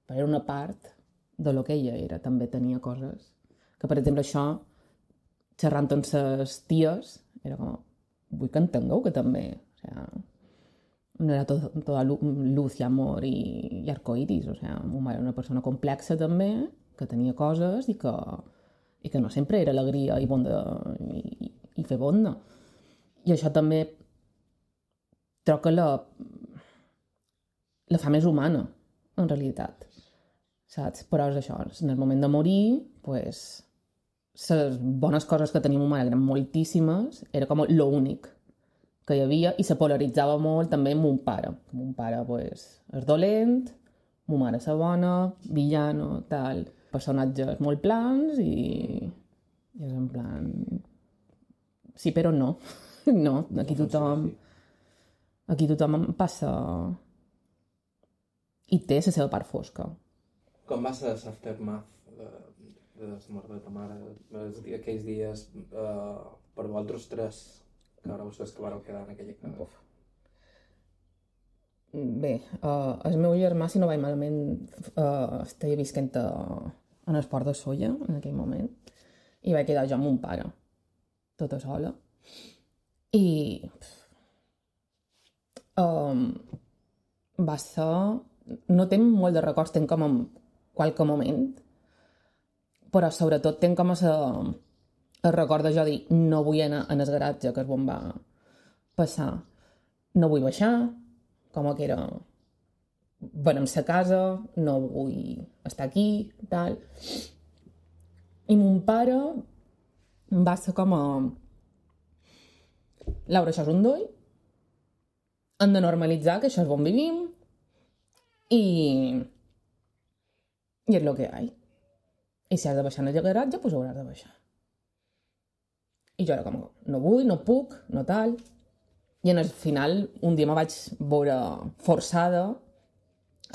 però era una part de lo que ella era. També tenia coses que, per exemple, això, xerrant amb ses ties, era com, vull que entengueu que també, o sea, no era tot, tota luz i amor i, i arcoiris, o sea, ma mare era una persona complexa també, que tenia coses i que, i que no sempre era alegria i bonda i, i fer bonda. I això també trobo que la la fa més humana, en realitat, saps? Però és això, en el moment de morir, pues, les bones coses que tenia ma mare eren moltíssimes, era com l'únic que hi havia, i se polaritzava molt també amb mon pare. Mon pare, pues, és dolent, ma mare és bona, villano, tal, personatges molt plans, i, i és en plan... Sí, però no. No, aquí tothom... Aquí tothom passa... i té la seva part fosca. Com va ser l'aftermath de, de la mort de ta mare? Aquells dies, uh, per vosaltres tres, que ara vostès que vareu quedar en aquella casa? Bé, uh, el meu germà, si no vaig malament, uh, estava visquent a, en el port de Sóller, en aquell moment, i vaig quedar jo amb mon pare, tota sola. I... Um, va ser... No tenc molt de records, tenc com en qualque moment, però sobretot tenc com a el record de jo dir no vull anar en el garatge, que és on va passar, no vull baixar, com que era venem la casa, no vull estar aquí, tal. I mon pare va ser com a Laura, això és un doi, hem de normalitzar que això és on vivim, i, i és el que hi ha. I si has de baixar en el garatge, doncs hauràs de baixar. I jo era com, no vull, no puc, no tal. I al final, un dia me vaig veure forçada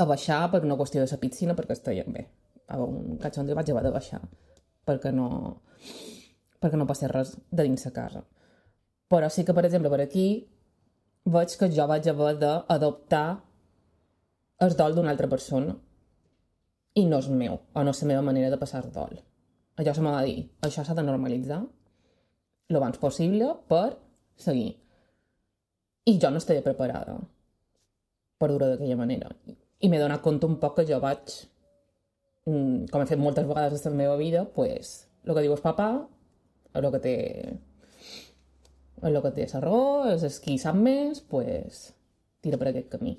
a baixar per una qüestió de la piscina, perquè estava bé. A un catxon vaig haver de baixar, perquè no, perquè no passés res de dins la casa. Però sí que, per exemple, per aquí veig que jo vaig haver d'adoptar el dol d'una altra persona i no és meu, o no és la meva manera de passar el dol. Allò se m'ha de dir, això s'ha de normalitzar el abans possible per seguir. I jo no estava preparada per dur-ho d'aquella manera. I m'he donat compte un poc que jo vaig, com he fet moltes vegades en la meva vida, pues, el que diu el papà, el que té el que té la raó, és qui sap més, pues, tira per aquest camí.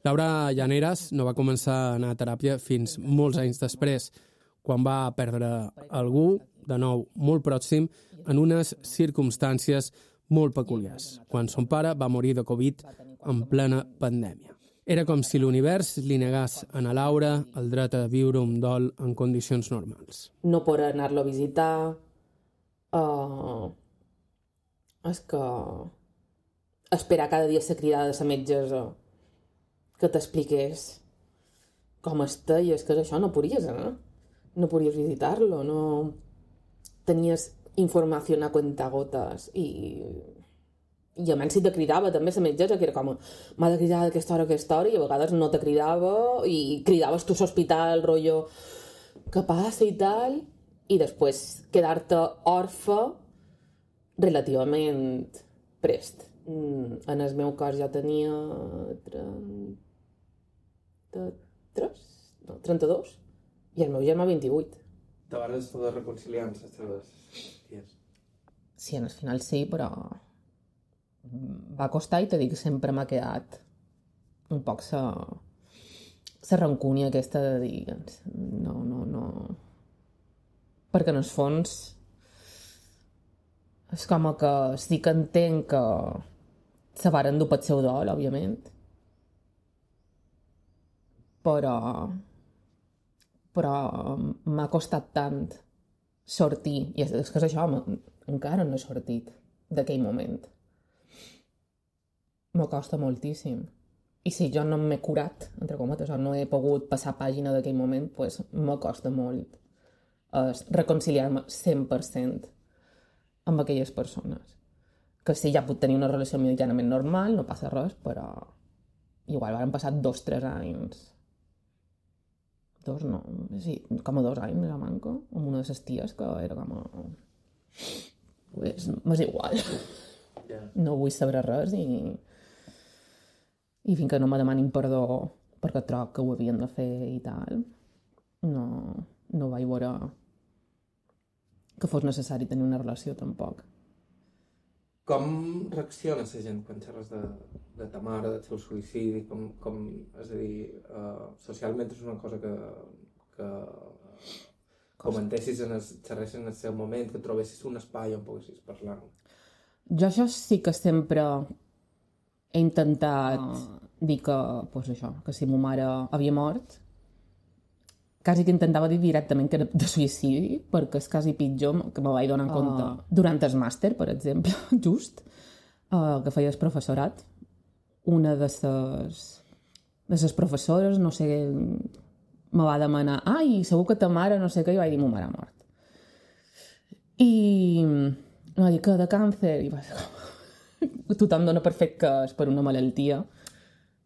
Laura Llaneras no va començar a anar a teràpia fins molts anys després, quan va perdre algú, de nou molt pròxim, en unes circumstàncies molt peculiars, quan son pare va morir de Covid en plena pandèmia. Era com si l'univers li negàs a na Laura el dret a viure un dol en condicions normals. No poder anar-lo a visitar... Uh, és que... esperar cada dia ser cridada a la metgessa que t'expliqués com està, i és que és això, no podies anar. No podies visitar-lo, no... Tenies informació a cuentagotes i... I a menys si te cridava també la metgessa, que era com m'ha de cridar d'aquesta hora a aquesta hora, i a vegades no te cridava i cridaves tu a l'hospital, rotllo què passa i tal, i després quedar-te orfe relativament prest. En el meu cas ja tenia trenta-tres? No, trenta-dos, i el meu germà vint-i-vuit. Te vas poder reconciliar amb les teves ties? Sí, al final sí, però va costar, i t'he dit que sempre m'ha quedat un poc la la rancúnia aquesta de dir no, no, no, perquè en el fons és com que sí que entenc que se varen dur pel seu dol, òbviament, però però m'ha costat tant sortir, i és que és això, encara no he sortit d'aquell moment. Me costa moltíssim. I si jo no m'he curat, entre cometes, o no he pogut passar pàgina d'aquell moment, doncs me costa molt eh, reconciliar-me cent per cent amb aquelles persones. Que sí, ja puc tenir una relació mitjanament normal, no passa res, però igual van passar dos, tres anys. Dos, no, sí, com a dos anys, ja manco, amb una de les ties que era com a... Pues, m'és igual. Yeah. No vull saber res i... i fins que no me demanin perdó perquè troc que ho havien de fer i tal, no, no vaig veure que fos necessari tenir una relació tampoc. Com reacciona la gent quan xerres de, de ta mare, del seu suïcidi? Com, com, és a dir, uh, socialment és una cosa que, que comentessis, en el, xerressis en el seu moment, que trobessis un espai on poguessis parlar? Jo això sí que sempre he intentat uh, dir que, pues això, que si ma mare havia mort, quasi que intentava dir directament que era de suïcidi, perquè és quasi pitjor que me vaig donar en compte. Uh, durant el màster, per exemple, just, uh, que feia el professorat, una de les de les professores, no sé, me va demanar, ai, segur que ta mare, no sé què, i vaig dir, ma mare ha mort. I em va dir que de càncer, i va ser com... tothom dona per fet que és per una malaltia,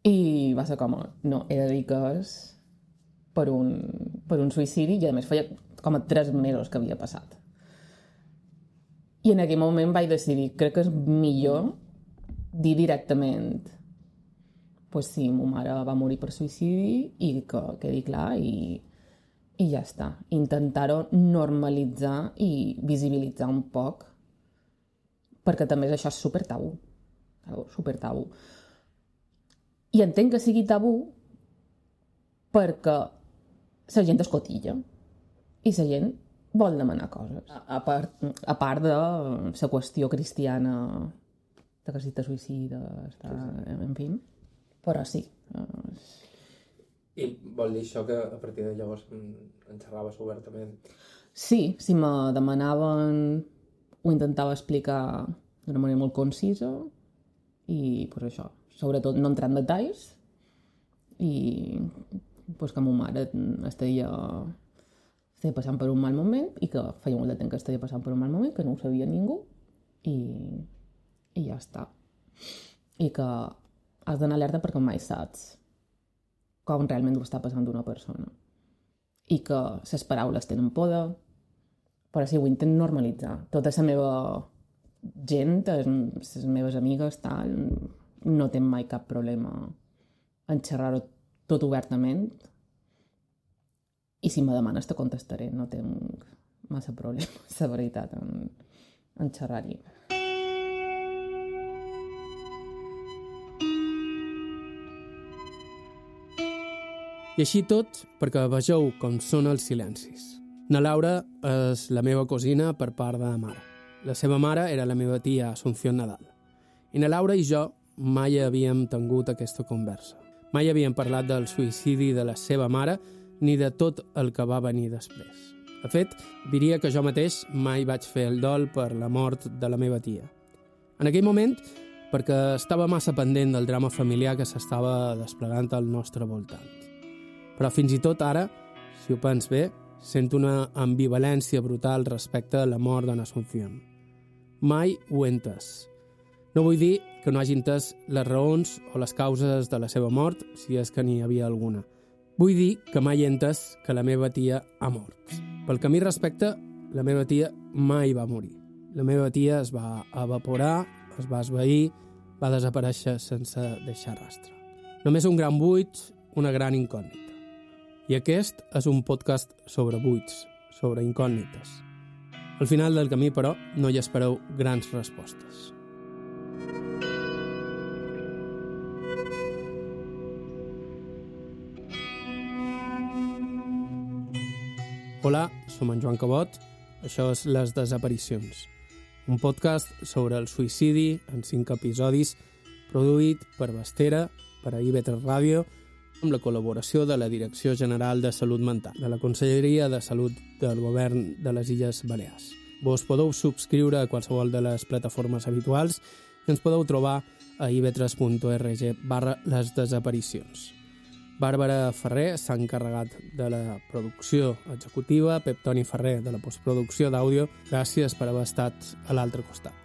i va ser com, no, he de dir que és per un, per un suïcidi, i a més feia com a tres mesos que havia passat. I en aquell moment vaig decidir, crec que és millor dir directament pues sí, ma mare va morir per suïcidi i que quedi clar, i, i ja està. Intentar-ho normalitzar i visibilitzar un poc, perquè també això és super tabú, super tabú. I entenc que sigui tabú perquè la gent escotilla i la gent vol demanar coses, a part, a part de la qüestió cristiana de que si te suïcides, en fi, però sí. I vol dir això que a partir de llavors en xerraves obertament? Sí, si me demanaven, ho intentava explicar d'una manera molt concisa i pues això, sobretot no entrar en detalls, i pues que ma mare estaria, estaria passant per un mal moment i que feia molt de temps que estaria passant per un mal moment, que no ho sabia ningú, i, i ja està. I que has d'anar alerta perquè mai saps com realment ho està passant una persona. I que les paraules tenen poder, però sí, ho intento normalitzar. Tota la meva gent, les meves amigues, tal, no tenen mai cap problema en xerrar-ho tot obertament. I si me demanes te contestaré, no tinc massa problema, la veritat, en, en xerrar-hi. I així tot perquè vegeu com són els silencis. Na Laura és la meva cosina per part de mare. La seva mare era la meva tia Asunción Nadal. I na Laura i jo mai havíem tingut aquesta conversa. Mai havíem parlat del suïcidi de la seva mare ni de tot el que va venir després. De fet, diria que jo mateix mai vaig fer el dol per la mort de la meva tia. En aquell moment, perquè estava massa pendent del drama familiar que s'estava desplegant al nostre voltant. Però fins i tot ara, si ho pens bé, sento una ambivalència brutal respecte a la mort d'en Asunción. Mai ho he entès. No vull dir que no hagi entès les raons o les causes de la seva mort, si és que n'hi havia alguna. Vull dir que mai he entès que la meva tia ha mort. Pel que a mi respecta, la meva tia mai va morir. La meva tia es va evaporar, es va esvair, va desaparèixer sense deixar rastre. Només un gran buit, una gran incògnita. I aquest és un podcast sobre buits, sobre incògnites. Al final del camí, però, no hi espereu grans respostes. Hola, som en Joan Cabot, això és Les Desaparicions, un podcast sobre el suïcidi en cinc episodis produït per Bastera, per a I V tres Ràdio, amb la col·laboració de la Direcció General de Salut Mental, de la Conselleria de Salut del Govern de les Illes Balears. Vos podeu subscriure a qualsevol de les plataformes habituals i ens podeu trobar a i v tres punt org barra les desaparicions. Bàrbara Ferrer s'ha encarregat de la producció executiva, Pep Toni Ferrer de la postproducció d'àudio. Gràcies per haver estat a l'altre costat.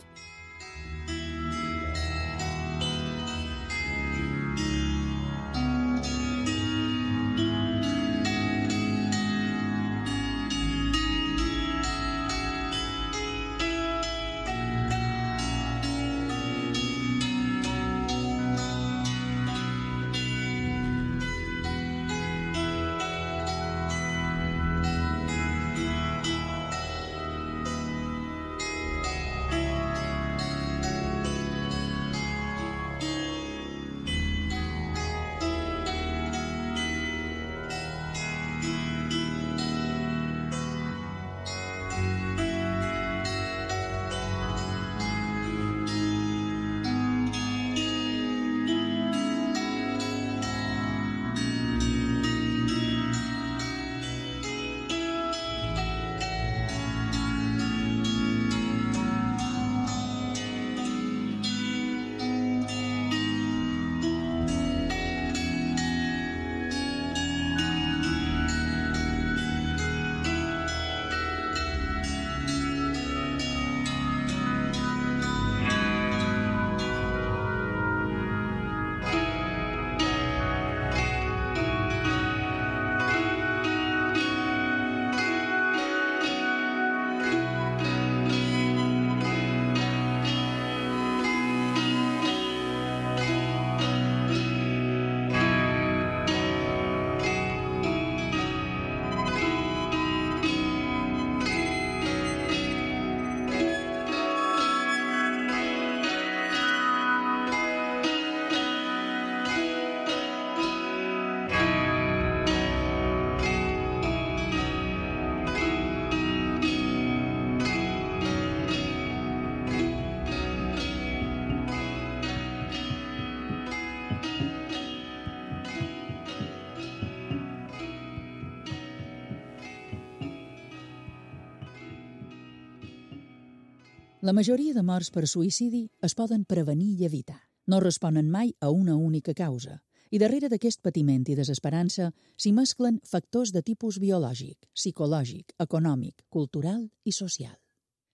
La majoria de morts per suïcidi es poden prevenir i evitar. No responen mai a una única causa. I darrere d'aquest patiment i desesperança s'hi mesclen factors de tipus biològic, psicològic, econòmic, cultural i social.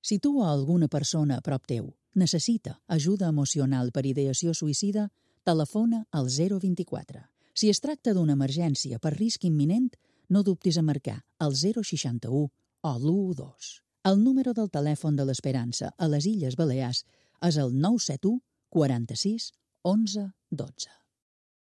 Si tu o alguna persona a prop teu necessita ajuda emocional per ideació suïcida, telefona al zero vint quatre. Si es tracta d'una emergència per risc imminent, no dubtis a marcar el zero seixanta-u o l'u dos. El número del telèfon de l'Esperança a les Illes Balears és el nou set u quaranta-sis onze dotze.